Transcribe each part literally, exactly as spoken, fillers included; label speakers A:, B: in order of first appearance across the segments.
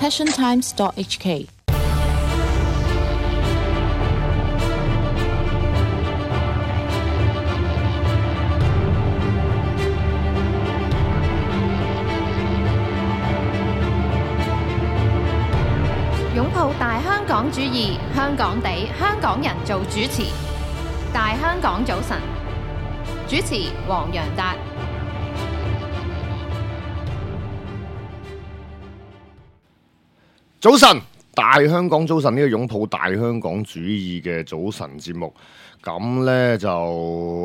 A: passion times dot h k。
B: 擁抱大香港主義，香港地，香港人做主持。大香港早晨，主持黃洋達。
C: 早晨，大香港早晨，呢個擁抱大香港主義嘅早晨節目，咁呢就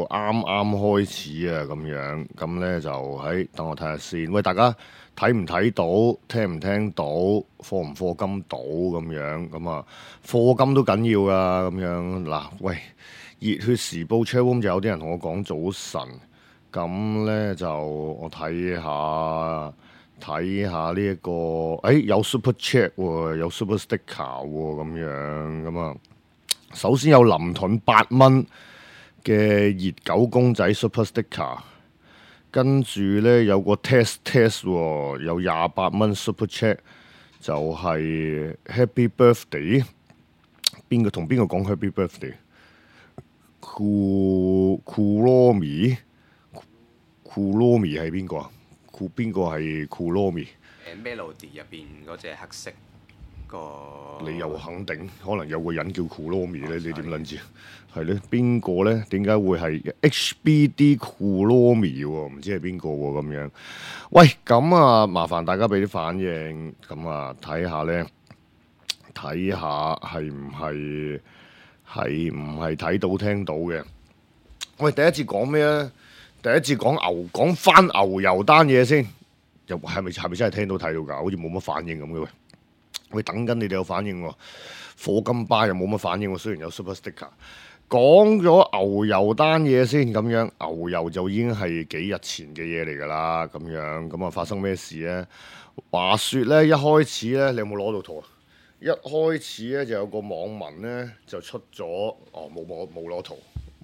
C: 啱啱開始啊，咁樣，咁呢就喺等我睇下先。喂，大家睇唔睇到，聽唔聽到，課唔課金到咁樣，咁啊，課金都緊要噶，咁樣嗱，喂，熱血時報 chatroom 就有啲人同我講早晨，咁呢就我睇下。睇下呢一個，誒、哎、有 super chat 喎，有 super sticker 喎，咁樣咁啊。首先有林盾八蚊嘅熱狗公仔 super sticker， 跟住呢有個 test test 喎，有廿八蚊 super chat， 就係 happy birthday。邊個同邊個講 happy birthday？Kuromi Kuromi 係邊個啊？邊個係 Kuromi？
D: Melody 入邊嗰隻黑色個，
C: 你又肯定可能有個人叫 Kuromi 咧？你點諗住？係咧，邊個咧？點解會係 H B D Kuromi 喎？唔知係邊個喎？咁樣，喂，咁啊，麻煩大家俾啲反應，咁啊，睇下咧，睇下係唔係係唔係睇到聽到嘅？喂，第一次講咩咧？第一次講牛講翻牛油單嘢先，又係咪係咪真係聽到睇到㗎？好似冇乜反應咁嘅喂，喂等緊你哋有反應喎，課金巴又冇乜反應喎，雖然有 super sticker。講咗牛油單嘢先，咁樣牛油就已經係幾日前嘅嘢嚟㗎啦，咁樣咁啊發生咩事咧？話説咧，一開始咧，你有冇攞到圖啊？一開始咧就有個網民咧就出咗，哦冇冇冇攞圖，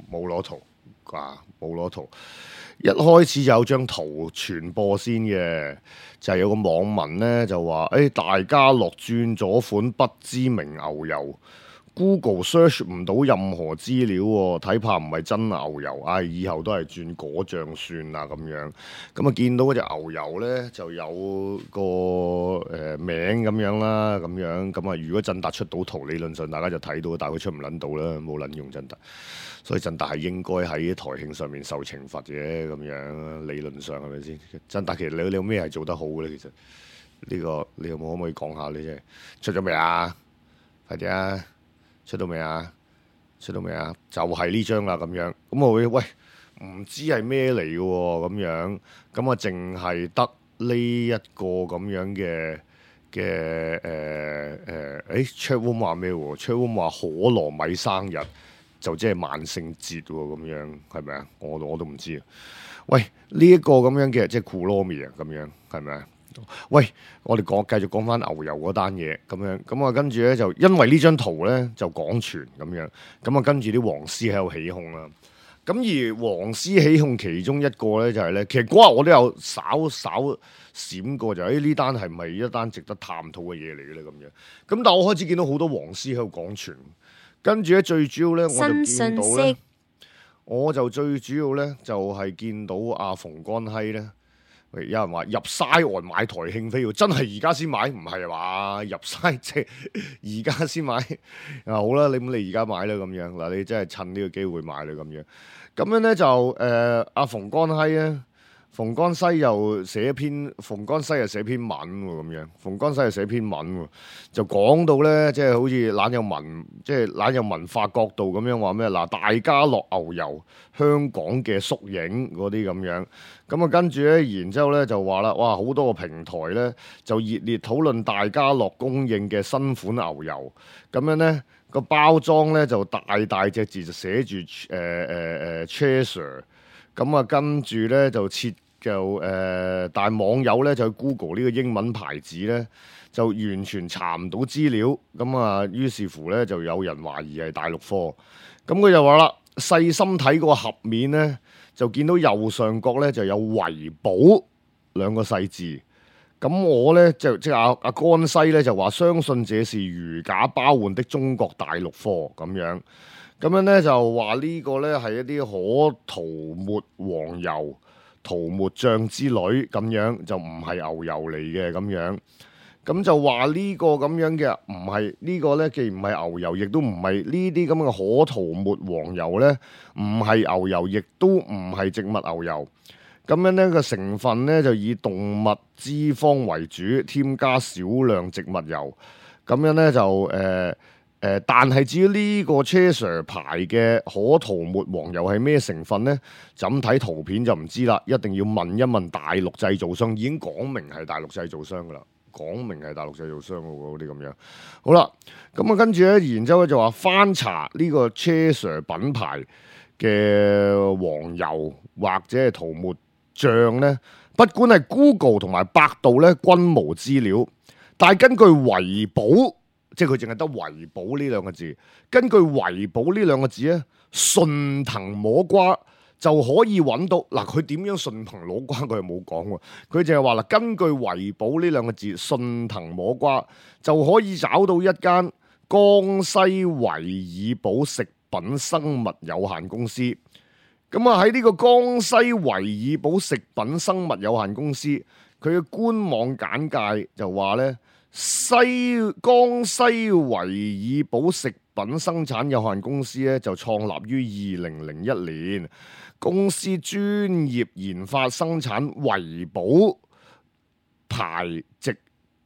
C: 冇攞圖。啊，冇攞圖。一開始就有張圖傳播先嘅，就係、是、有個網民呢就話：，誒、哎、大家樂轉咗款不知名牛油 ，Google search 唔到任何資料喎，睇怕唔係真牛油，唉、哎，以後都係轉果醬算啦咁樣。咁啊見到嗰隻牛油呢，就有個誒、呃、名咁樣啦，咁樣咁啊，如果振達出到圖，理論上大家就睇到，但係佢出唔撚到啦，冇撚用振達。所以振達係應該喺台慶上面受懲罰嘅，咁樣理論上係咪先？振達其實你你有咩係做得好嘅咧？其實呢、呢個你有冇可唔可以講下你啫？出咗未啊？快啲啊！出到未啊？出到未啊？就係呢張啦咁樣。咁我會喂唔知係咩嚟嘅喎咁樣。咁啊，淨係得呢一個咁樣嘅嘅誒誒，誒 Chatroom 話咩喎 Chatroom 話可樂米生日。就即係萬聖節喎，咁樣係咪啊？我我都唔知啊。喂，呢、這、一個咁樣嘅即係 Kuromi 啊，咁樣係咪啊？喂，我哋講繼續講翻牛油嗰單嘢咁樣，咁啊跟住咧就因為呢張圖咧就廣傳咁樣，咁啊跟住啲黃絲喺度起哄啦。咁而黃絲起哄其中一個咧就係、是、咧，其實嗰日我都有稍稍閃過就誒、是、呢單係唔係一單值得探討嘅嘢嚟嘅咧咁樣。咁但係我開始見到好多黃絲喺度廣傳。跟住咧，最主要咧，我就見到咧，我就最主要咧，就係、是、見到阿馮乾熙咧，有人話入西岸買台慶飛喎，真係而家先買，唔係話入西即係而家先買啊！好啦，你咁你而家買啦咁樣嗱，你真係趁呢個機會買啦咁樣，咁樣咧就誒阿馮乾熙咧。馮乾熙又寫篇，馮乾熙又寫篇文喎，咁樣。馮乾熙又寫篇文喎，就講到咧，即係好似懶有文，即係懶有文化角度咁樣話咩？嗱，大家樂牛油香港嘅縮影嗰啲咁樣。咁啊，跟住咧，然之後咧就話啦，哇，好多個平台咧就熱烈討論大家樂供應嘅新款牛油。咁樣咧個包裝咧就大大隻字就寫住誒誒誒 Chaser。咁啊，跟住咧就設。就誒、呃，但係網友咧就去 Google 呢個英文牌子咧，就完全查唔到資料。咁啊，於是乎咧就有人懷疑係大陸貨。咁佢就話啦，細心睇個盒面咧，就見到右上角咧就有維寶兩個細字。咁我咧就即係阿阿江西咧就話相信這是如假包換的中國大陸貨咁樣，咁樣咧就話呢個咧係一啲可塗抹黃油、塗抹醬之類咁樣，就唔係牛油嚟嘅咁樣。咁就話呢個咁樣嘅唔係呢個咧，既唔係牛油，亦都唔係呢啲咁嘅可塗抹黃油咧，唔係牛油，亦都唔係植物牛油。咁樣呢個成分咧就以動物脂肪為主，添加少量植物油。咁樣咧就誒誒、呃呃，但係至於呢個 Cheshire 牌嘅可塗抹黃油係咩成分咧？就咁睇圖片就唔知啦，一定要問一問大陸製造商，已經講明係大陸製造商噶啦。講明係大陸製造商嗰啲咁樣，好啦，咁啊跟住咧，然之後咧就話翻查呢個 Cheshire 品牌嘅黃油或者係塗抹醬咧，不管係 Google 同埋百度咧均無資料，但係根據維寶，即係佢淨係得維寶呢兩個字，根據維寶呢兩個字咧，順藤摸瓜就可以揾到嗱，佢點樣順藤摸瓜佢又冇講喎，佢淨係話啦，根據維寶呢兩個字，順藤摸瓜就可以找到一間江西維爾寶食品生物有限公司。咁啊喺呢個江西維爾寶食品生物有限公司，佢嘅官網簡介就話咧，西江西維爾寶食品生產有限公司咧就創立於二零零一年。公司專業研發生產維寶牌植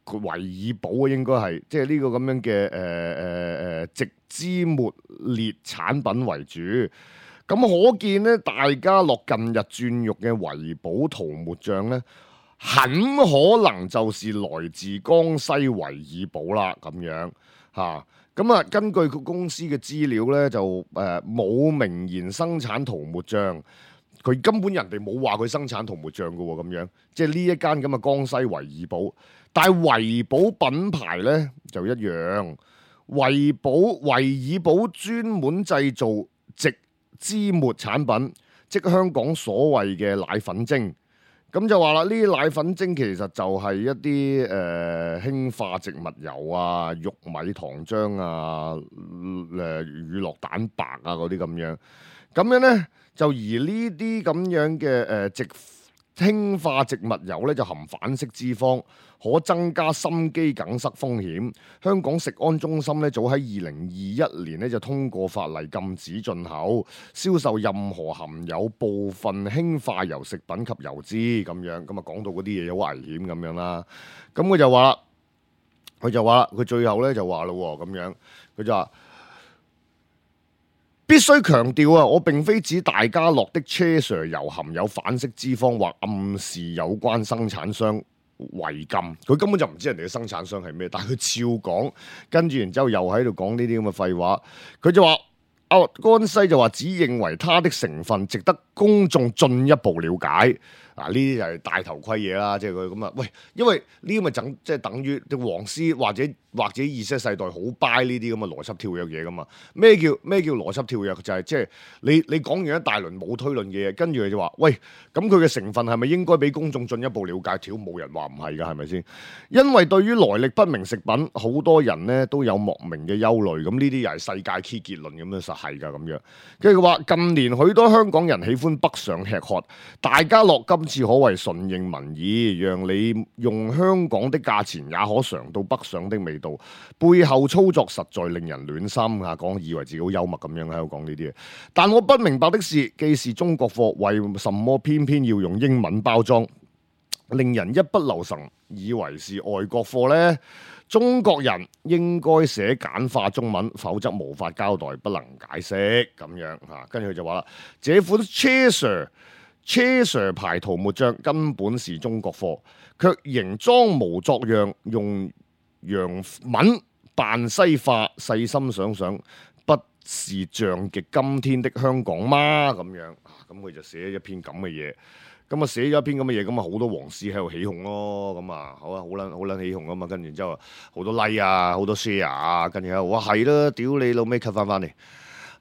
C: 維爾寶啊，應該係即係呢個咁樣嘅誒誒誒植脂末列產品為主。咁可見咧，大家樂近日轉肉嘅維寶塗抹醬咧，很可能就是來自江西維爾寶啦，咁樣嚇。咁啊，根據佢公司嘅資料咧，就誒冇、呃、明言生產塗抹醬，佢根本人哋冇話佢生產塗抹醬嘅喎，咁樣即係呢一間咁嘅江西維爾寶，但係維寶品牌咧就一樣，維寶維爾寶專門製造植脂末產品，即香港所謂嘅奶粉精。咁就話啦，呢啲奶粉精其實就係一啲誒、呃、氫化植物油啊、玉米糖漿啊、誒、呃、乳酪蛋白啊嗰啲咁樣。咁樣咧就而呢啲咁樣嘅誒植氫化植物油咧就含反式脂肪，可增加心肌梗塞風險。香港食安中心咧早喺二零二一年咧就通過法例禁止進口、銷售任何含有部分氫化油食品及油脂咁樣。咁啊講到嗰啲嘢好危險咁樣啦。咁佢就話啦，佢就話啦，佢最後咧就話咯咁樣，佢就話。必須強調啊！我並非指大家樂的 Cheshire 油含有反式脂肪，或暗示有關生產商違禁。佢根本就唔知人哋嘅生產商係咩，但係佢照講，跟住然之後又喺度講呢啲咁嘅廢話。佢就話：阿江西就話只認為它的成分值得公眾進一步了解。嗱，呢啲就係戴頭盔嘢啦，即係佢咁啊！喂，因為呢啲咪等即係等於啲黃絲或者或者 Z 世代好 buy 呢啲咁嘅邏輯跳躍嘢噶嘛？咩叫咩叫邏輯跳躍？就係即係你你講完一大輪冇推論嘅嘢，跟住佢就話：喂，咁佢嘅成分係咪應該俾公眾進一步了解？條冇人話唔係㗎，係咪先？因為對於來歷不明食品，好多人咧都有莫名嘅憂慮。咁呢啲又係世界 key 結論咁樣，實係㗎咁樣。跟住佢話近年許多香港人喜歡北上吃喝，大家樂今次可謂順應民意，讓你用香港的價錢也可嘗到北上的味道。背後操作實在令人暖心啊！講以為自己好幽默咁樣喺度講呢啲嘢，但我不明白的是，既是中國貨，為什麼偏偏要用英文包裝，令人一不留神以為是外國貨呢？中國人應該寫簡化中文，否則無法交代，不能解釋咁樣嚇。跟住佢就話啦，這款 Cheshire Cheshire 牌塗抹醬根本是中國貨，卻仍裝模作樣用洋文扮西化，細心想想，不是像極今天的香港嗎？咁樣，咁佢就寫一篇咁嘅嘢，咁啊寫咗一篇咁嘅嘢，咁啊好多黃絲喺度起哄咯，咁啊好啊好撚好撚起哄啊嘛，跟住之後好多 like 啊，好多 share 啊，跟住喺度哇係啦，屌你老味 cut 翻翻嚟。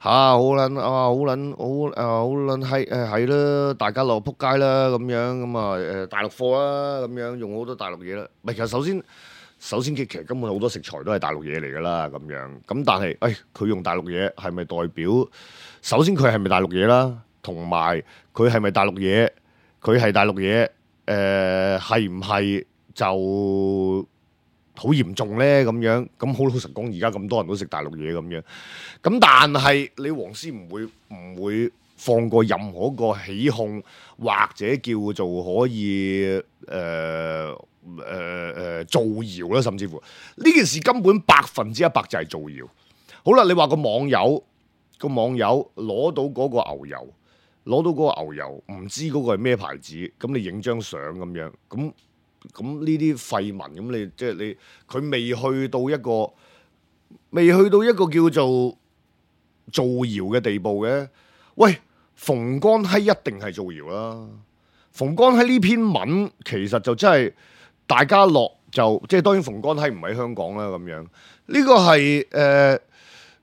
C: 嚇好撚啊好撚好誒好撚係誒係啦，大家落撲街啦咁樣咁啊誒大陸貨啦咁樣用好多大陸嘢啦。唔係其實首先首先其實根本好多食材都係大陸嘢嚟㗎啦咁樣。咁但係誒佢用大陸嘢係咪代表首先佢係咪大陸嘢啦？同埋佢係咪大陸嘢？佢係大陸嘢誒係唔係就好嚴重咧咁樣？咁好老實講，而家咁多人都食大陸嘢咁樣。咁但係你黃絲唔會唔會放過任何一個起控或者叫做可以誒誒誒造謠啦，甚至乎呢件事根本百分之一百就係造謠。好啦，你話個網友個網友攞到嗰個牛油，攞到嗰個牛油，唔知嗰個係咩牌子，咁你影張相咁樣，咁咁呢啲廢文，咁你即係你佢未去到一個未去到一個叫做造謠嘅地步嘅。喂，馮乾熙一定係造謠啦。馮乾熙呢篇文其實就真係大家樂就即係當然馮乾熙唔喺香港啦咁樣。呢、這個係誒、呃，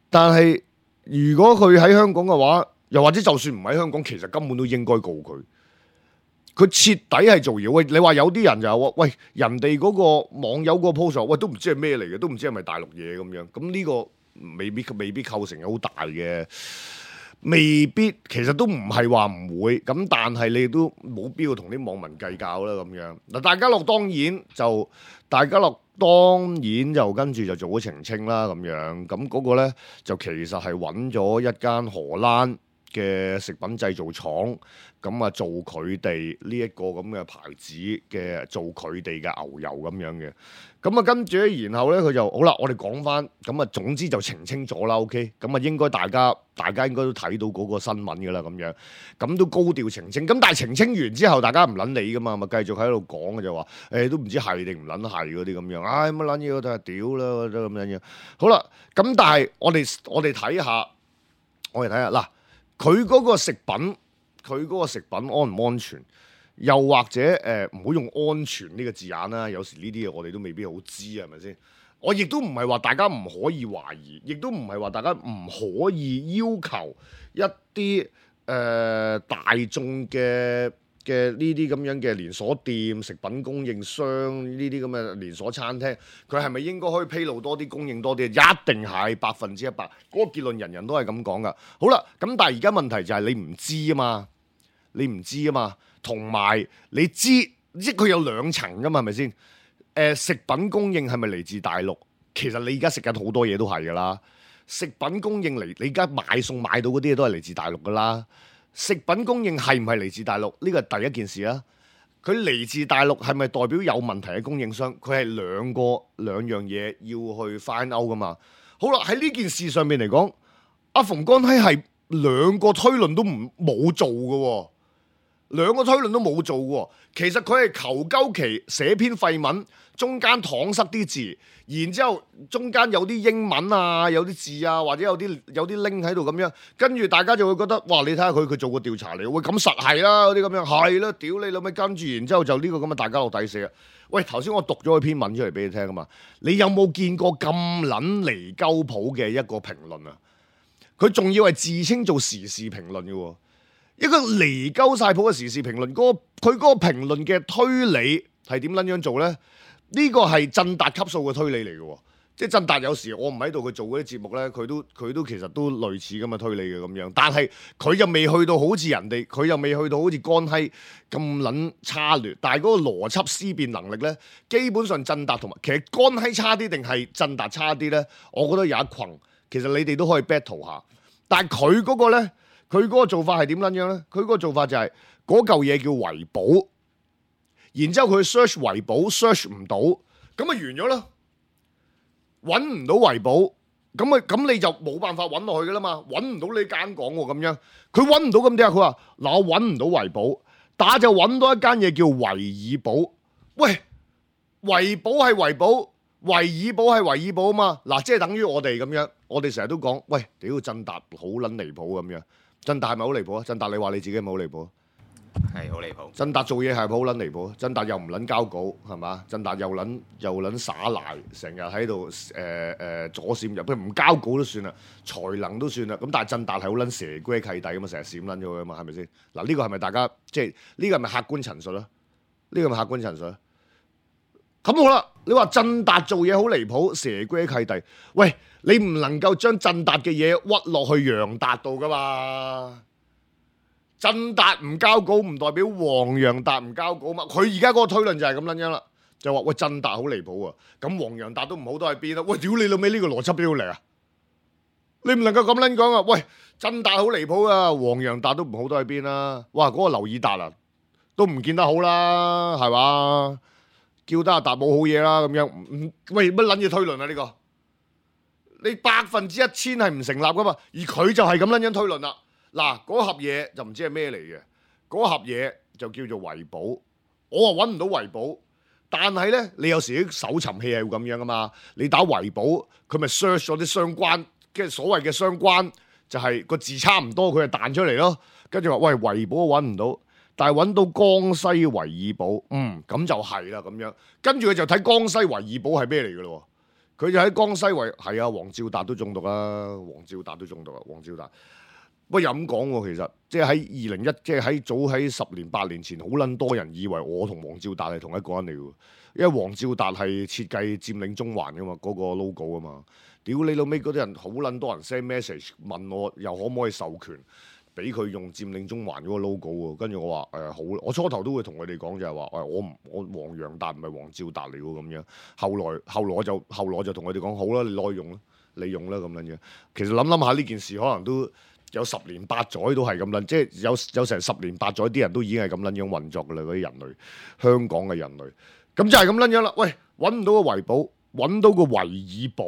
C: 但係如果佢喺香港嘅話，又或者就算唔喺香港，其實根本都應該告佢。佢徹底係造謠。喂，你話有啲人就話喂，人哋嗰個網友嗰個 post， 喂都唔知係咩嚟嘅，都唔知係咪大陸嘢咁樣。咁呢個未必未必構成好大嘅，未必其實都唔係話唔會。咁但係你都冇必要同啲網民計較啦咁樣。嗱，大家樂當然就大家樂當然就跟住就做咗澄清啦咁樣。咁嗰個咧就其實係揾咗一間荷蘭嘅食品製造廠，咁啊做佢哋呢一個咁嘅牌子嘅，做佢哋嘅牛油咁樣嘅。咁啊跟住咧，然後咧佢就好啦，我哋講翻，咁啊總之就澄清咗啦 ，OK，咁啊應該大家大家應該都睇到嗰個新聞噶啦，咁樣，咁都高調澄清。咁但係澄清完之後，大家唔撚理噶嘛，咪繼續喺度講嘅就話，誒、欸、都唔知係定唔撚係嗰啲咁樣，唉乜撚嘢我都係屌啦，都咁樣樣。好啦，咁但係我哋我哋睇下，我哋睇下嗱。佢嗰個食品，佢嗰個食品安唔安全？又或者誒唔好用安全呢個字眼啦。有時呢啲嘢我哋都未必好知，係咪先？我亦都唔係話大家唔可以懷疑，亦都唔係話大家唔可以要求一啲誒、呃、大眾嘅嘅呢啲咁樣嘅連鎖店、食品供應商呢啲咁嘅連鎖餐廳，佢係咪應該可以披露多啲、供應多啲？一定係百分之一百，嗰個結論人人都係咁講噶。好啦，咁但係而家問題就係你唔知啊嘛，你唔知啊嘛，同埋你知，即係佢有兩層噶嘛，係咪先？誒、呃，食品供應係咪嚟自大陸？其實你而家食緊好多嘢都係噶啦，食品供應嚟，你而家買餸買到嗰啲嘢都係嚟自大陸噶啦。食品供應係唔係嚟自大陸？呢個係第一件事啊！佢嚟自大陸係咪代表有問題嘅供應商？佢係兩個兩樣嘢要去 find out 噶嘛？好啦，喺呢件事上面嚟講，阿馮乾熙係兩個推論都唔冇做嘅喎，兩個推論都冇做嘅喎。其實佢係求鳩其寫篇廢文，中間搪塞啲字，然之後中間有啲英文啊，有啲字啊，或者有啲有啲 link 喺度咁樣，跟住大家就會覺得，哇！你睇下佢佢做過調查嚟，喂咁實係啦，嗰啲咁樣係啦，屌你老味，跟住然之後就呢個咁嘅大家樂抵死啊！喂，頭先我讀咗佢篇文出嚟俾你聽啊嘛，你有冇見過咁撚離鳩譜嘅一個評論啊？佢仲要係自稱做時事評論嘅喎。一個離鳩晒譜嘅時事評論，嗰個佢嗰個評論嘅推理係點撚樣做咧？呢個係振達級數嘅推理嚟嘅，即係振達有時我唔喺度，佢做嗰啲節目咧，佢都佢都其實都類似咁嘅推理嘅咁樣，但係佢又未去到好似人哋，佢又未去到好似乾熙咁撚差劣，但係嗰個邏輯思辨能力咧，基本上振達同埋其實乾熙差啲定係振達差啲咧？我覺得有一群，其實你哋都可以 battle 下，但係佢嗰個咧。佢嗰個做法係點撚樣咧？佢嗰個做法就係嗰嚿嘢叫維保，然之後佢 search 維保 search 唔到，咁咪完咗啦。揾唔到維保，咁咪咁你就冇辦法揾落去噶啦嘛。揾唔到你間講喎咁樣，佢揾唔到咁點啊？佢話嗱，我揾唔到維保，但係就揾到一間嘢叫維爾保。喂，維保係維保，維爾保係維爾保啊嘛。嗱，即係等於我哋咁樣，我哋成日都講，喂，屌振達好撚離譜咁樣。振達係咪好離譜啊？振達你話你自己係咪好離譜啊？
D: 係好離譜。
C: 振達做嘢係咪好撚離譜？振達又唔撚交稿係嘛？振達又撚又撚耍賴，成日喺度誒誒左閃入，佢唔交稿都算啦，才能都算啦。咁但係振達係好撚蛇龜契弟咁嘛，成日閃撚咗佢啊嘛，係咪先？嗱呢個係咪大家即係呢個係咪客觀陳述啊？呢個係咪客觀陳述啊？咁好啦，你話振達做嘢好離譜，蛇龜契弟，喂，你唔能夠將振達嘅嘢屈落去楊達度噶嘛？振達唔交稿唔代表黃楊達唔交稿嘛？佢而家嗰個推論就係咁撚樣啦，就話喂振達好離譜啊，咁黃楊達都唔好都喺邊啦？喂，屌你老味呢個邏輯邊度嚟啊？你唔能夠咁撚講啊！喂，振達好離譜啊，黃楊達都唔好都喺邊啦？哇，嗰、那個劉以達啊，都唔見得好啦，係嘛？叫得阿達冇好嘢啦，咁樣唔喂乜撚嘢推論啊？呢、這個你百分之一千係唔成立噶嘛？而佢就係咁撚樣推論啦。嗱，嗰盒嘢就唔知係咩嚟嘅，嗰盒嘢就叫做維保，我啊揾唔到維保，但係咧你有時啲搜尋器係會咁樣噶嘛，你打維保，佢咪 search 咗啲相關，即係所謂嘅相關，就係、是、個字差唔多，佢就彈出嚟咯，跟住話喂維保揾唔到，但係揾到江西維爾保，嗯咁就係啦咁樣，跟住佢就睇江西維爾保係咩嚟嘅咯，佢就喺江西維係啊，黃照達都中毒啊，黃照達都中毒啊，黃照達。不過又咁講喎，其實即係喺二零一，即係喺早喺十年八年前，好撚多人以為我同黃照達係同一個人嚟嘅，因為黃照達係設計佔領中環嘅嘛，嗰、那個 logo 啊嘛。屌你老尾嗰啲人，好撚多人 send message 問我，又可唔可以授權俾佢用佔領中環嗰個 logo 喎？跟住我話誒、呃、好，我初頭都會同佢哋講就係話誒我唔我黃楊達唔係黃照達嚟喎咁樣。後來後來我就後來我就同佢哋講好啦，你攞用啦，你用啦咁樣樣。其實諗諗下呢件事可能都。有十年八載都係咁撚，即係有有成十年八載啲人都已經係咁撚樣運作噶啦，嗰啲人類，香港嘅人類，咁就係咁撚樣啦。喂，揾唔到個維保，揾到個維爾保，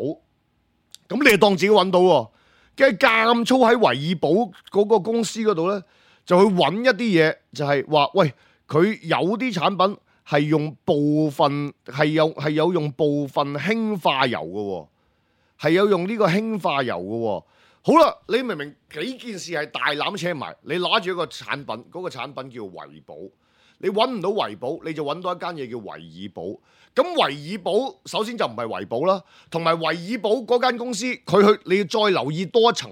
C: 咁你就當自己揾到喎，跟住監粗喺維爾保嗰個公司嗰度咧，就去揾一啲嘢，就係話喂，佢有啲產品係用部分係有係有用部分氫化油嘅，係有用呢個氫化油嘅。好啦，你明明幾件事係大攬扯埋，你攞住一個產品，嗰、那個產品叫維保，你揾唔到維保，你就揾到一間嘢叫維爾保。咁維爾保首先就唔係維保啦，同埋維爾保嗰間公司，佢去你要再留意多一層，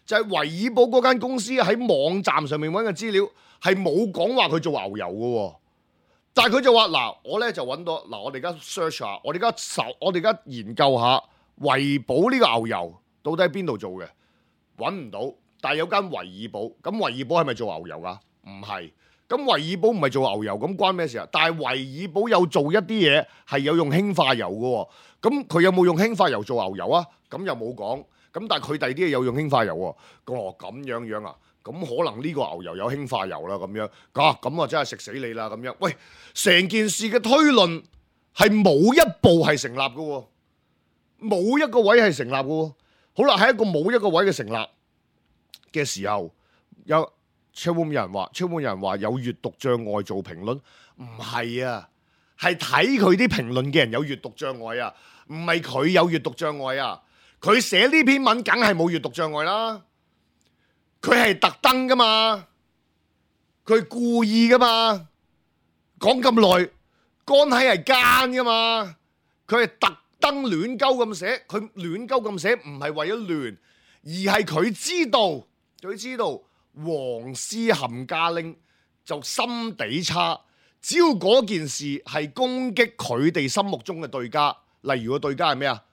C: 就係、是、維爾保嗰間公司喺網站上面揾嘅資料係冇講話佢做牛油嘅，但係佢就話嗱，我咧就揾到嗱，我哋而家 search 下，我哋而家搜，我哋而家研究下維保呢個牛油。到底喺邊度做嘅？揾唔到，但係有間維爾保，咁維爾保係咪做牛油噶？唔係，咁維爾保唔係做牛油，咁關咩事啊？但係維爾保有做一啲嘢係有用氫化油嘅，咁佢有冇用氫化油做牛油啊？咁又冇講，咁但係佢第二啲嘢有用氫化油喎。哦，咁樣樣啊？咁可能呢個牛油有氫化油啦，咁樣，啊，咁啊真係食死你啦咁樣。喂，成件事嘅推論係冇一步係成立嘅，冇一個位係成立嘅。好啦，喺一個冇一個位嘅成立嘅時候，有超滿有人話，超滿有人話有閱讀障礙做評論，唔係啊，係睇佢啲評論嘅人有閱讀障礙啊，唔係佢有閱讀障礙啊，佢寫呢篇文梗係冇閱讀障礙啦，佢係特登噶嘛，佢係故意噶嘛，講咁耐，乾係係奸噶嘛，佢係特。登亂鳩咁寫，佢亂鳩咁寫唔係為咗亂，而係佢知道，佢知道黃絲冚家拎就心地差，只要嗰件事係攻擊佢哋心目中嘅對家，例如個對家係咩啊？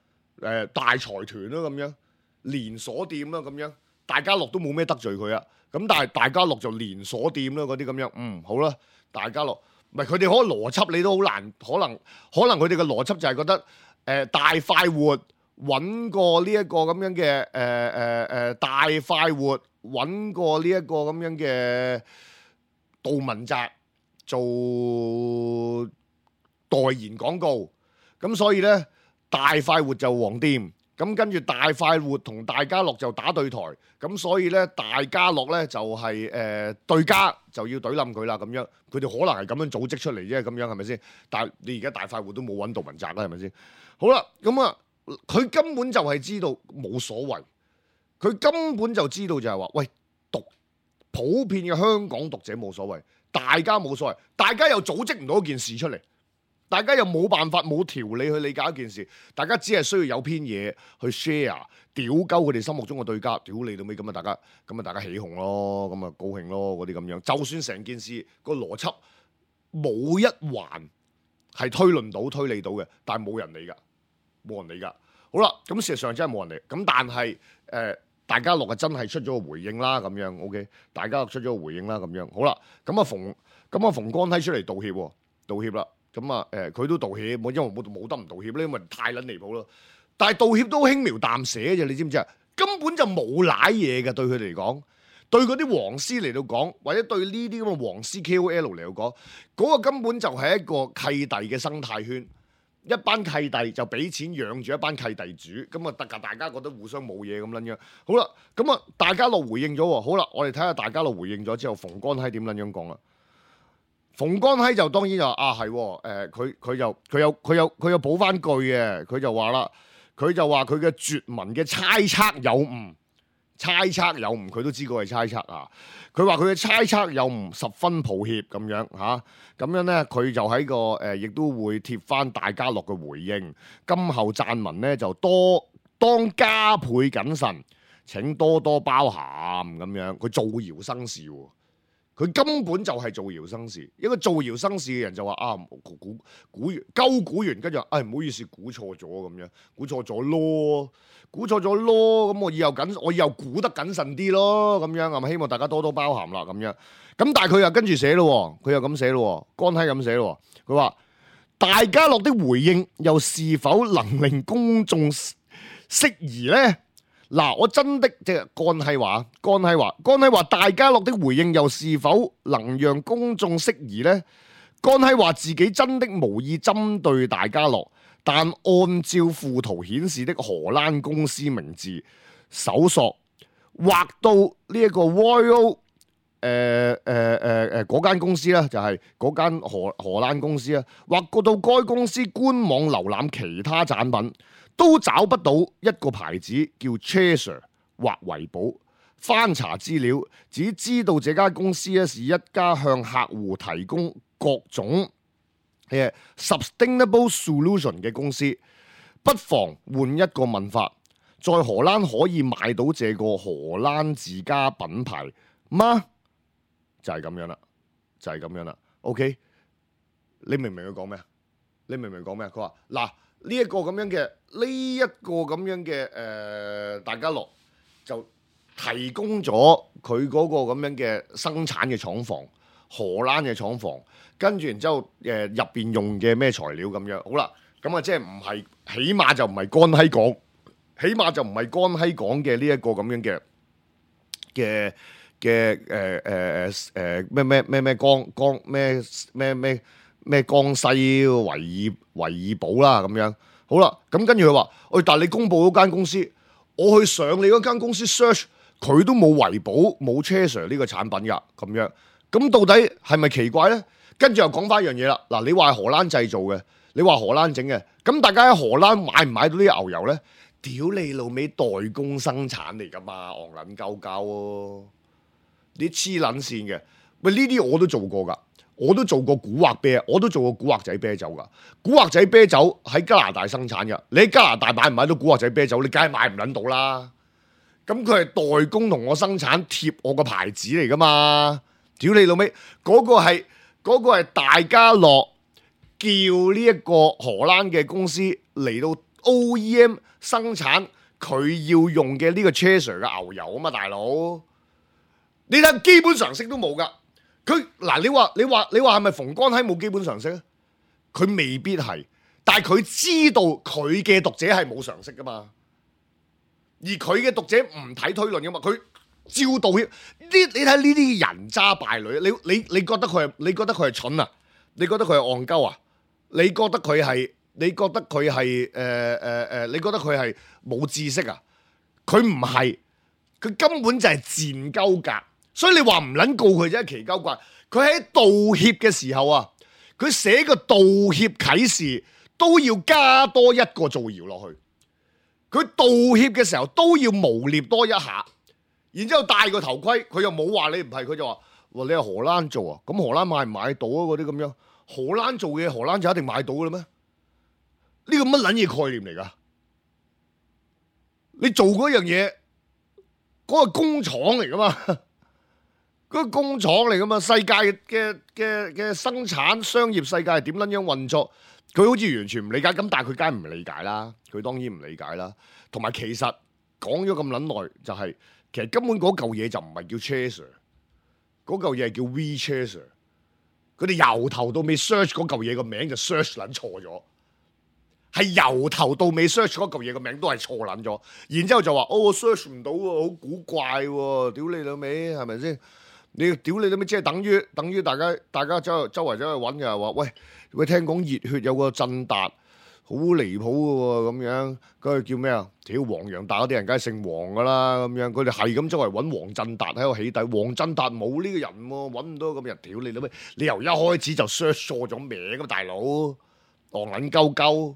C: 誒、呃、大財團咯咁樣，連鎖店啦咁樣，大家樂都冇咩得罪佢啊，咁但係大家樂就連鎖店啦嗰啲咁樣，嗯好啦，大家樂唔係佢哋可能邏輯你都好難，可能可能佢哋嘅邏輯就係覺得。誒、呃、大快活揾過呢一個咁樣嘅誒誒誒大快活揾過呢一個咁樣嘅杜汶澤做代言廣告，咁所以咧大快活就黃店，咁跟住大快活同大家樂就打對台，咁所以咧大家樂咧就係、是、誒、呃、對家就要懟冧佢啦咁樣，佢哋可能係咁樣組織出嚟啫，咁樣係咪先？但係你而家大快活都冇揾杜汶澤啦，係咪先？好啦，咁啊，佢根本就係知道冇所謂，佢根本就知道就係話，喂，讀普遍嘅香港讀者冇所謂，大家冇所謂，大家又組織唔到一件事出嚟，大家又冇辦法冇條理去理解一件事，大家只係需要有篇嘢去 share， 屌鳩佢哋心目中嘅對家，屌你到尾咁啊！大家咁啊，大家起哄咯，咁啊高興咯，嗰啲咁樣。就算成件事個邏輯冇一環係推論到、推理到嘅，但係冇人理㗎，冇人理㗎。好啦，咁事實上真係冇人理。咁但係誒、呃，大家樂啊真係出咗個回應啦，咁樣 OK， 大家樂出咗個回應啦，咁樣好啦。咁啊馮，咁啊馮乾熙出嚟道歉喎，道歉啦。咁啊誒，佢、呃、都道歉，冇因為冇冇得唔道歉咧，因為太撚離譜咯。但係道歉都輕描淡寫啫，你知唔知啊？根本就冇賴嘢嘅，對佢哋嚟講，對嗰啲黃絲嚟到講，或者對呢啲咁嘅黃絲 K O L 嚟到講，嗰、嗰個根本就係一個契弟嘅生態圈，一班契弟就俾錢養住一班契弟主，咁啊，大大家覺得互相冇嘢咁撚樣。好啦，咁啊，大家樂回應咗喎，好啦，我哋睇下大家樂回應咗之後，馮乾熙點撚樣講啦？馮乾熙就當然就啊係，誒佢佢就佢有佢有佢有補翻句嘅，佢就話啦。佢就話佢嘅絕文嘅猜測有誤，猜測有誤，佢都知個係猜測啊。佢話佢嘅猜測有誤，十分抱歉咁樣嚇。咁、啊、樣咧，佢就喺個誒，亦、呃、都會貼翻大家樂嘅回應。今後撰文咧就多當加倍謹慎，請多多包涵咁樣。佢造謠生事喎。佢根本就係造謠生事，一個造謠生事嘅人就話啊估估估完鳩估完，跟住唉唔好意思估錯咗咁樣，估錯咗咯，估錯咗咯，咁我以後謹我以後估得謹慎啲咯，咁樣係咪希望大家多多包涵啦咁樣？咁但係佢又跟住寫咯，佢又咁寫咯，乾熙咁寫咯，佢話大家樂的回應又是否能令公眾釋疑呢？嗱，我真的即係乾熙話，乾熙話，乾熙話，大家樂的回應又是否能讓公眾釋疑呢？乾熙話自己真的無意針對大家樂，但按照附圖顯示的荷蘭公司名字搜索，畫到呢一個 Royal 誒誒誒誒嗰間公司啦，就係嗰間荷荷蘭公司啊，畫過到該公司官網瀏覽其他產品，都找不到一個牌子叫 Chaser 或維寶。翻查資料，只知道這家公司咧是一家向客戶提供各種嘅 sustainable solution 嘅公司。不妨換一個問法，在荷蘭可以買到這個荷蘭自家品牌嗎？就係咁樣啦，就係咁樣啦。OK， 你明唔明佢講咩啊？你明唔明講咩啊？佢話嗱。呢一個咁樣嘅，呢一個咁樣嘅，誒，大家樂就提供咗佢嗰個咁樣嘅生產嘅廠房，荷蘭嘅廠房，跟住然之後誒入邊用嘅咩材料咁樣，好啦，咁啊即係唔係，起碼就唔係乾熙講，起碼就唔係乾熙講嘅呢一個咁樣嘅嘅嘅誒誒誒咩咩咩咩江江咩咩咩。咩江西維爾維爾寶啦咁樣，好啦，咁跟住佢話，喂，但係你公佈嗰間公司，我去上你嗰間公司 search，佢都冇維寶冇 Chaser 呢個產品㗎，咁樣，咁到底係咪奇怪咧？跟住又講翻一樣嘢啦，嗱，你話係荷蘭製造嘅，你話荷蘭整嘅，咁大家喺荷蘭買唔買到啲牛油咧？屌你老味代工生產嚟㗎嘛，戇撚鳩鳩喎，你黐撚線嘅，喂，呢啲我都做過㗎。我都做過古惑啤，我都做過古惑仔啤酒噶。古惑仔啤酒喺加拿大生產噶，你喺加拿大買唔買到古惑仔啤酒？你梗係買唔撚到啦。咁佢係代工同我生產貼我個牌子嚟噶嘛？屌你老味，嗰個係嗰個係大家樂叫呢一個荷蘭嘅公司嚟到 O E M 生產佢要用嘅呢個 Chaser 嘅牛油啊嘛，大佬。你睇基本常識都冇噶。佢嗱，你話你話你話係咪馮乾熙冇基本常識咧？佢未必係，但係佢知道佢嘅讀者係冇常識噶嘛，而佢嘅讀者唔睇推論噶嘛，佢照道歉。呢你睇呢啲人渣敗類，你你你覺得佢係你覺得佢係蠢啊？你覺得佢係戇鳩啊？你覺得佢係你覺得佢係誒誒誒？你覺得佢係冇知識啊？佢唔係，佢根本就係賤鳩格。所以你話唔撚告佢啫，奇鳩怪。佢喺道歉嘅時候啊，佢寫個道歉啟事都要加多一個造謠落去。佢道歉嘅時候都要誣衊多一下，然之後戴個頭盔，佢又冇話你唔係，佢就話：哇，你係荷蘭做啊？咁荷蘭買唔買到啊？嗰啲咁樣，荷蘭做嘅荷蘭就一定買到嘅啦咩？呢個乜撚嘢概念嚟㗎？你做嗰樣嘢，嗰個工廠嚟㗎嘛？嗰個工廠嚟㗎嘛？世界嘅嘅嘅生產商業世界係點撚樣運作？佢好似完全唔理解，咁但係佢梗係唔理解啦。佢當然唔理解啦。同埋其實講咗咁撚耐，就係、是、其實根本嗰嚿嘢就唔係叫 Chaser， 嗰嚿嘢係叫 WeChaser。佢哋由頭到尾 search 嗰嚿嘢個名就 search 撚錯咗，係由頭到尾 search 嗰嚿嘢個名都係錯撚咗。然之後就話：哦，我 search 唔到喎，好古怪喎，屌你老味，係咪先？你屌你老味，即係等於等於大家大家周周圍走去揾嘅話，喂喂，聽講熱血有個振達好離譜嘅喎，咁樣嗰個叫咩啊？屌黃洋達嗰啲人梗係姓黃噶啦，咁樣佢哋係咁周圍揾黃振達喺度起底，黃振達冇呢個人喎，揾唔到咁人，屌你老味，你由一開始就 search 錯咗名咁，大佬戇撚鳩鳩，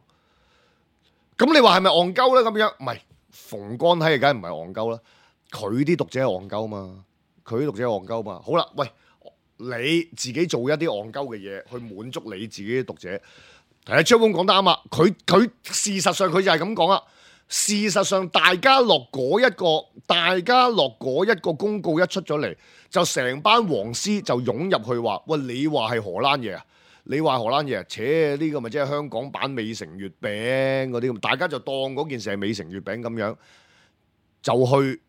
C: 咁你話係咪戇鳩咧？咁樣唔係，馮乾睇嘅梗係唔係戇鳩啦，佢啲讀者係戇鳩嘛。佢讀者戇鳩嘛，好啦，喂，你自己做一啲戇鳩嘅嘢去滿足你自己嘅讀者。誒，張峰講得啱啊，佢佢事實上佢就係咁講啊。事實上，大家樂嗰一個，大家樂嗰一個公告一出咗嚟，就成班黃絲就湧入去話：喂，你話係荷蘭嘢啊？你話荷蘭嘢啊？切，呢個咪即係香港版美城月餅嗰啲咁，大家就當嗰件事係美城月餅咁樣，就去。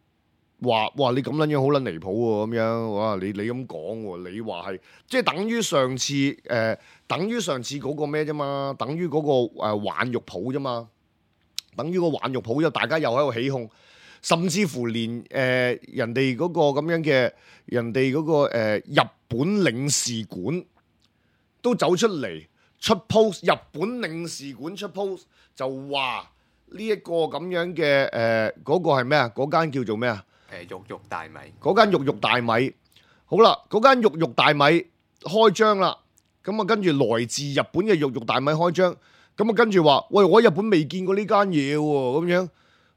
C: 話哇你咁撚樣好撚離譜喎，咁樣哇你你咁講喎，你話係即係等於上次誒、呃，等於上次嗰個咩啫嘛，等於嗰、嗰個誒玩肉鋪啫嘛，等於個玩肉鋪，又大家又喺度起哄，甚至乎連誒、呃、人哋嗰個咁樣嘅人哋嗰、嗰個、呃、日本領事館都走出嚟出 post， 日本領事館出 post 就話呢一個咁樣嘅誒嗰個係咩啊？嗰間叫做咩啊？
D: 誒肉肉大米，
C: 嗰間肉肉大米，好啦，嗰間肉肉大米開張啦，咁啊跟住來自日本嘅肉肉大米開張，咁啊跟住話，喂，我喺日本未見過呢間嘢喎，咁樣，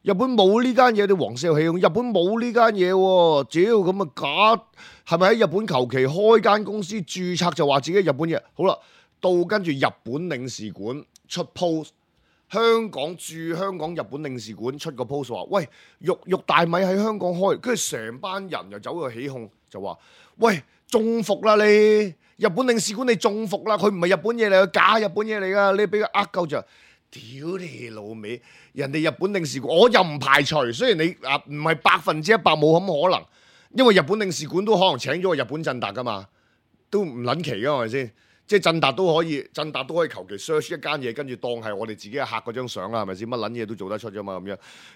C: 日本冇呢間嘢，啲黃色起哄，日本冇呢間嘢喎，屌咁啊假，係咪喺日本求其開間公司註冊就話自己係日本嘢？好啦，到跟住日本領事館出 post。香港駐香港日本領事館出個 post 話：喂，肉肉大米喺香港開，跟住成班人又走去起哄，就話：喂，中伏啦你！日本領事館你中伏啦，佢唔係日本嘢嚟，佢假日本嘢嚟噶，你俾佢呃夠就，屌你老味！人哋日本領事館，我又唔排除，雖然你啊唔係百分之一百冇咁可能，因為日本領事館都可能請咗個日本振達噶嘛，都唔撚奇噶係咪先？即係振達都可以，振達都可以求其 search 一間嘢，跟住當係我哋自己嘅客嗰張相啦，係咪先？乜撚嘢都做得出啫嘛，咁樣。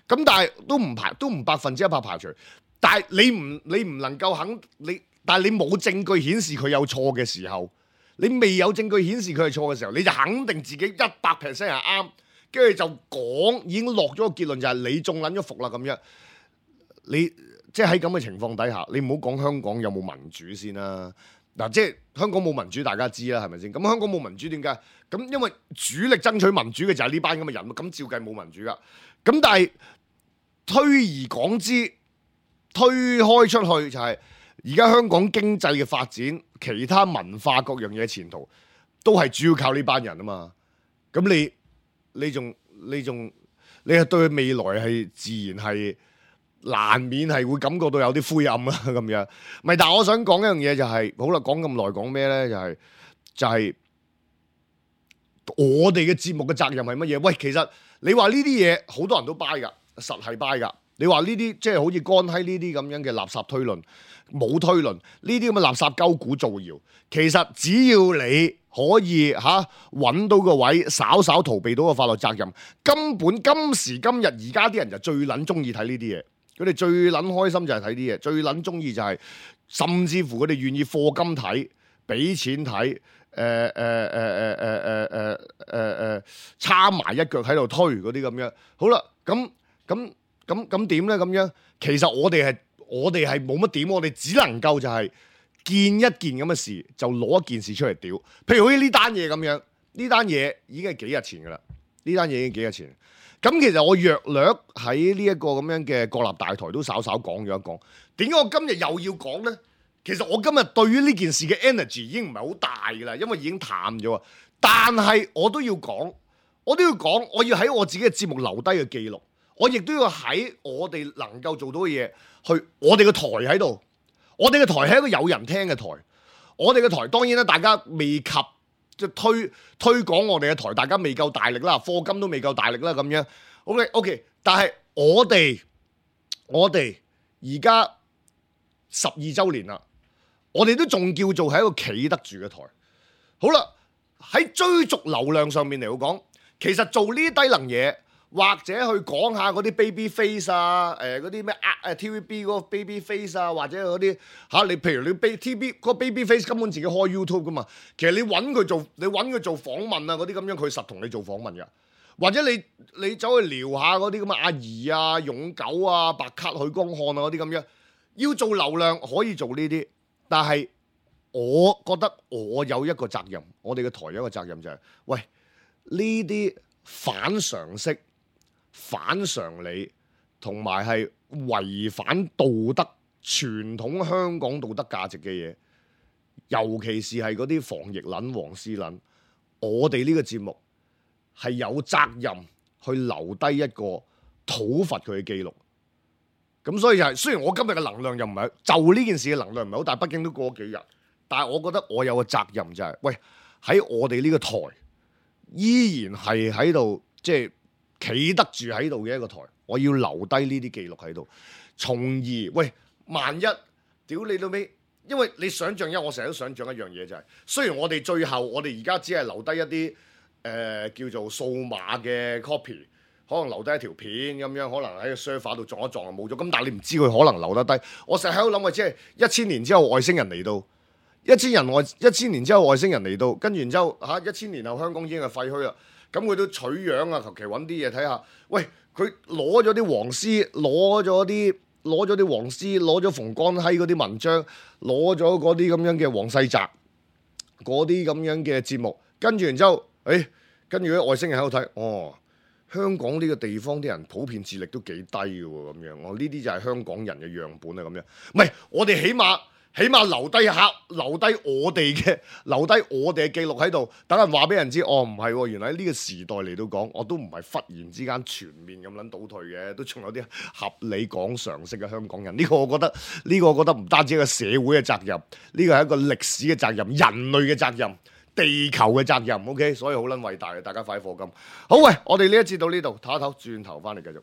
C: 咁但係都唔排，都唔百分之一百排除。但係你唔，你唔能夠肯你，但係你冇證據顯示佢有錯嘅時候，你未有證據顯示佢係錯嘅時候，你就肯定自己一百 percent 係啱，跟住就講已經落咗個結論就係你中撚咗伏啦咁樣。你即係喺咁嘅情況底下，你唔好講香港有冇民主先啦。嗱，即係香港冇民主，大家知啦，係咪先？咁香港冇民主點解？咁因為主力爭取民主嘅就係呢班咁嘅人，咁照計冇民主噶。咁但係推而廣之，推開出去就係而家香港經濟嘅發展，其他文化各樣嘢前途都係主要靠呢班人啊嘛。咁你你仲你仲你係對佢未來係自然係。難免係會感覺到有啲灰暗啦咁樣，咪但係我想講一樣嘢就係、是，好啦，講咁耐講咩咧？就係、是、就係、是、我哋嘅節目嘅責任係乜嘢？喂，其實你話呢啲嘢好多人都 buy 㗎，實係 buy 㗎。你話呢啲即係好似乾閪呢啲咁樣嘅垃圾推論，冇推論呢啲咁嘅垃圾鳩股造謠，其實只要你可以嚇揾到個位，稍稍逃避到個法律責任，根本今時今日而家啲人就最撚中意睇呢啲嘢。佢哋最撚開心就係睇啲嘢，最撚中意就係、是，甚至乎佢哋願意課金睇，俾錢睇，誒誒誒誒誒誒誒誒誒參埋一腳喺度推嗰啲咁樣。好啦，咁咁咁咁點咧？咁樣其實我哋係我哋係冇乜點，我哋只能夠就係見一件咁嘅事，就攞一件事出嚟屌。譬如好似呢單嘢咁樣，呢單嘢已經係幾日前噶啦，呢單嘢已經幾日前。咁其實我約略喺呢一個咁樣嘅國立大台都稍稍講咗一講，點解我今日又要講呢？其實我今日對於呢件事嘅 energy 已經唔係好大㗎啦，因為已經淡咗。但係我都要講，我都要講，我要喺我自己嘅節目留低嘅記錄，我亦都要喺我哋能夠做到嘅嘢，去我哋嘅台喺度，我哋嘅台係一個有人聽嘅台，我哋嘅台當然啦，大家未及即係推推廣我哋嘅台，大家未夠大力啦，課金都未夠大力啦咁樣。OK OK， 但係我哋我哋而家十二週年啦，我哋都仲叫做係一個企得住嘅台。好啦，喺追逐流量上面嚟講，其實做呢啲低能嘢，或者去講下嗰啲 baby face 啊，誒嗰啲咩誒 T V B 嗰個 baby face 啊，或者嗰啲嚇你，譬如你 T V B 嗰個 baby face 根本自己開 YouTube 噶嘛，其實你揾佢做，你揾佢做訪問啊嗰啲咁樣，佢實同你做訪問噶。或者你你走去聊下嗰啲咁嘅阿怡啊、勇狗啊、白卡許光漢啊嗰啲咁樣，要做流量可以做呢啲，但係我覺得我有一個責任，我哋嘅台有一個責任就係、是，喂呢啲反常識、反常理，同埋係違反道德傳統香港道德價值嘅嘢，尤其是係嗰啲防疫撚、黃絲撚，我哋呢個節目係有責任去留低一個討伐佢嘅記錄。咁所以就係、是，雖然我今日嘅能量又唔係就呢件事嘅能量唔係好大，畢竟都過咗幾日，但係我覺得我有個責任就係、是，喂喺我哋呢個台依然係喺度，即係企得住喺度嘅一個台，我要留低呢啲記錄喺度，從而喂萬一屌你到尾，因為你想象一，我成日都想象一樣嘢就係、是，雖然我哋最後我哋而家只係留低一啲誒、呃、叫做數碼嘅 copy。可能留低一條片咁樣，可能喺個 server 度撞一撞就冇咗。咁但係你唔知佢可能留得低。我成日喺度諗嘅，即係一千年之後外星人嚟到，一千人外一千年之後外星人嚟到，跟住然之後嚇一千年後香港已經係廢墟啦。咁佢都取樣啊，求其揾啲嘢睇下。喂，佢攞咗啲黃絲，攞咗啲攞咗啲黃絲，攞咗馮乾熙嗰啲文章，攞咗嗰啲咁樣嘅黃世澤嗰啲咁樣嘅節目，跟住然之後，誒、哎，跟住啲外星人喺度睇，哦。香港呢個地方啲人普遍智力都幾低嘅喎，咁樣我呢啲就係香港人嘅樣本啊，咁樣唔係我哋起碼起碼留低下，留低我哋嘅留低我哋嘅記錄喺度，等人話俾人知，哦唔係喎，原來喺呢個時代嚟到講，我都唔係忽然之間全面咁撚倒退嘅，都仲有啲合理講常識嘅香港人。呢個我覺得呢個我覺得唔單止係一個社會嘅責任，呢個係一個歷史嘅責任，人類嘅責任。地球嘅責任 ，OK， 所以好撚偉大嘅，大家快啲課金。好喂，我哋呢一節到呢度，唞一唞，轉頭翻嚟繼續。